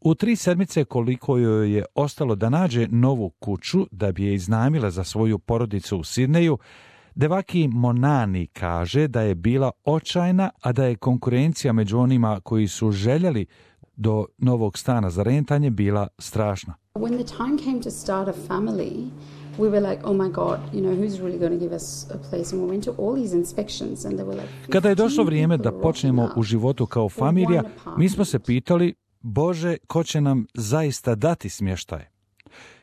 U 3 sedmice koliko joj je ostalo da nađe novu kuću da bi je iznajmila za svoju porodicu u Sidneju, Devaki Monani kaže da je bila očajna, a da je konkurencija među onima koji su željeli do novog stana za rentanje bila strašna. When the time came to start a family, we were like, oh my God, who's really going to give us a place? And we went to all these inspections and they were like... Kada je došlo vrijeme da počnemo u životu kao familija, mi smo se pitali, Bože, ko će nam zaista dati smještaj?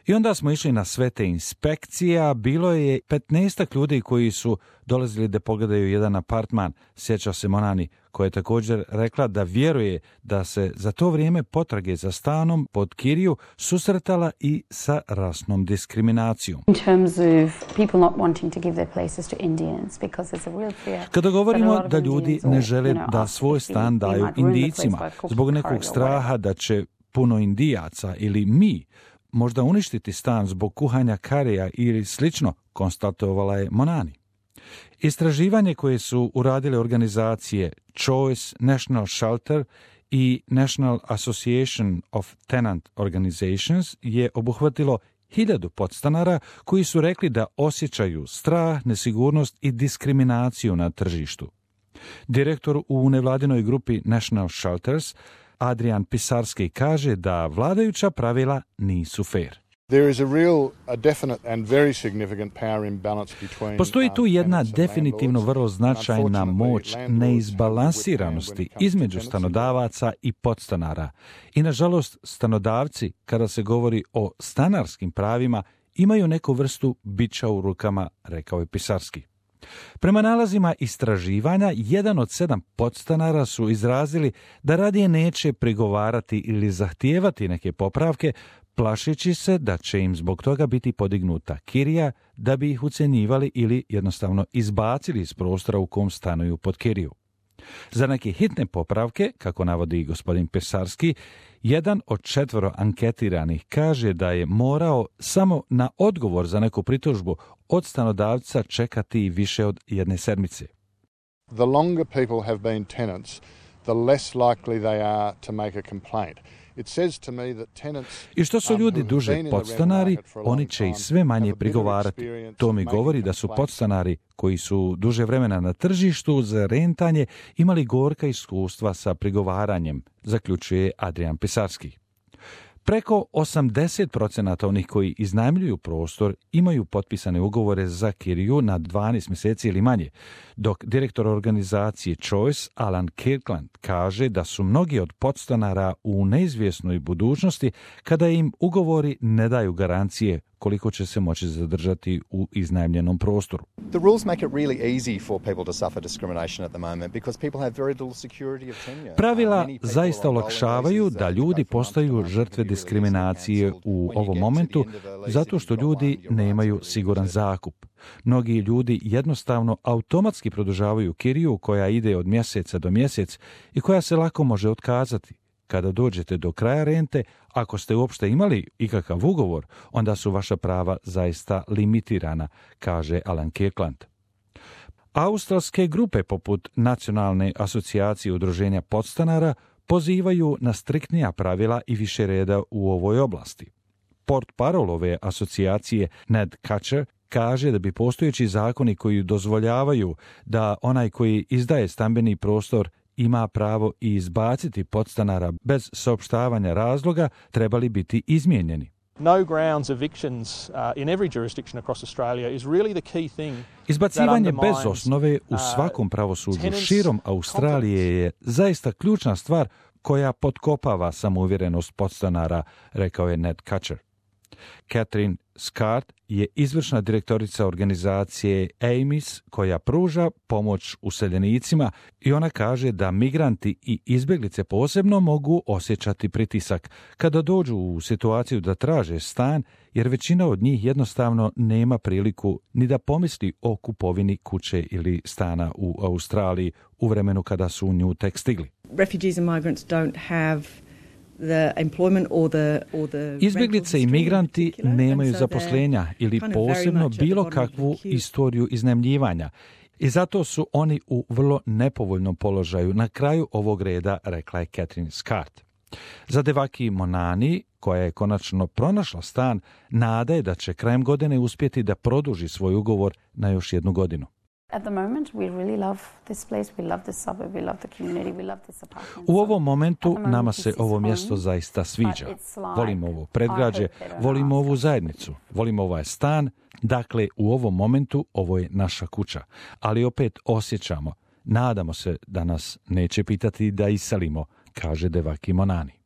I onda smo išli na sve te inspekcije, a bilo je 15 ljudi koji su dolazili da pogledaju jedan apartman, sjeća se Monani, koja je također rekla da vjeruje da se za to vrijeme potrage za stanom pod kiriju susretala i sa rasnom diskriminacijom. Kada govorimo da ljudi ne žele da svoj stan daju Indijcima zbog nekog straha da će puno Indijaca ili mi možda uništiti stan zbog kuhanja karija ili slično, konstatovala je Monani. Istraživanje koje su uradile organizacije Choice, National Shelter i National Association of Tenant Organizations je obuhvatilo 1000 podstanara koji su rekli da osjećaju strah, nesigurnost i diskriminaciju na tržištu. Direktor u nevladinoj grupi National Shelters Adrian Pisarski kaže da vladajuća pravila nisu fair. Postoji tu jedna definitivno vrlo značajna moć neizbalansiranosti između stanodavaca i podstanara. I nažalost, stanodavci, kada se govori o stanarskim pravima, imaju neku vrstu bića u rukama, rekao je Pisarski. Prema nalazima istraživanja, 1 od 7 podstanara su izrazili da radije neće prigovarati ili zahtijevati neke popravke, plašeći se da će im zbog toga biti podignuta kirija da bi ih ucjenjivali ili jednostavno izbacili iz prostora u kom stanuju pod kiriju. Za neke hitne popravke, kako navodi gospodin Pisarski, 1 od 4 anketiranih kaže da je morao samo na odgovor za neku pritužbu od stanodavca čekati više od 1 sedmice. The longer people have been tenants, the less likely they are to make a complaint. I što su ljudi duže podstanari, oni će i sve manje prigovarati. To mi govori da su podstanari koji su duže vremena na tržištu za rentanje imali gorka iskustva sa prigovaranjem, zaključuje Adrian Pisarski. Preko 80% onih koji iznajmljuju prostor imaju potpisane ugovore za kiriju na 12 mjeseci ili manje, dok direktor organizacije Choice, Alan Kirkland, kaže da su mnogi od podstanara u neizvjesnoj budućnosti kada im ugovori ne daju garancije koliko će se moći zadržati u iznajmljenom prostoru. The rules make it really easy for people to suffer discrimination at the moment because people have very little security of tenure. Pravila zaista olakšavaju da ljudi postaju žrtve diskriminacije u ovom momentu zato što ljudi nemaju siguran zakup. Mnogi ljudi jednostavno automatski produžavaju kiriju koja ide od mjeseca do mjesec i koja se lako može otkazati. Kada dođete do kraja rente, ako ste uopšte imali ikakav ugovor, onda su vaša prava zaista limitirana, kaže Alan Kirkland. Australske grupe poput Nacionalne asocijacije udruženja podstanara pozivaju na striktnija pravila i više reda u ovoj oblasti. Portparol ove asocijacije Ned Kutcher kaže da bi postojeći zakoni koji dozvoljavaju da onaj koji izdaje stambeni prostor ima pravo i izbaciti podstanara bez saopštavanja razloga trebali biti izmijenjeni. No grounds evictions in every jurisdiction across Australia is really the key thing. Izbacivanje bez osnove u svakom pravosuđu širom Australije je zaista ključna stvar koja potkopava samouvjerenost podstanara, rekao je Ned Kutcher. Catherine Scott je izvršna direktorica organizacije AMIS koja pruža pomoć useljenicima i ona kaže da migranti i izbjeglice posebno mogu osjećati pritisak kada dođu u situaciju da traže stan, jer većina od njih jednostavno nema priliku ni da pomisli o kupovini kuće ili stana u Australiji u vremenu kada su u nju tek stigli. Refugees and migrants don't have Izbjeglice i migranti nemaju zaposlenja ili posebno bilo kakvu istoriju iznajmljivanja i zato su oni u vrlo nepovoljnom položaju na kraju ovog reda, rekla je Catherine Scott. Za Devaki Monani, koja je konačno pronašla stan, nada je da će krajem godine uspjeti da produži svoj ugovor na još 1 godinu. At the moment, we really love this place, we love this suburb, we love the community, we love this apartment. U ovom momentu nama se ovo mjesto zaista sviđa. Volimo ovo predgrađe, volimo ovu zajednicu, volimo ovaj stan. Dakle, u ovom momentu ovo je naša kuća. Ali opet osjećamo, nadamo se da nas neće pitati da iselimo, kaže Devaki Monani.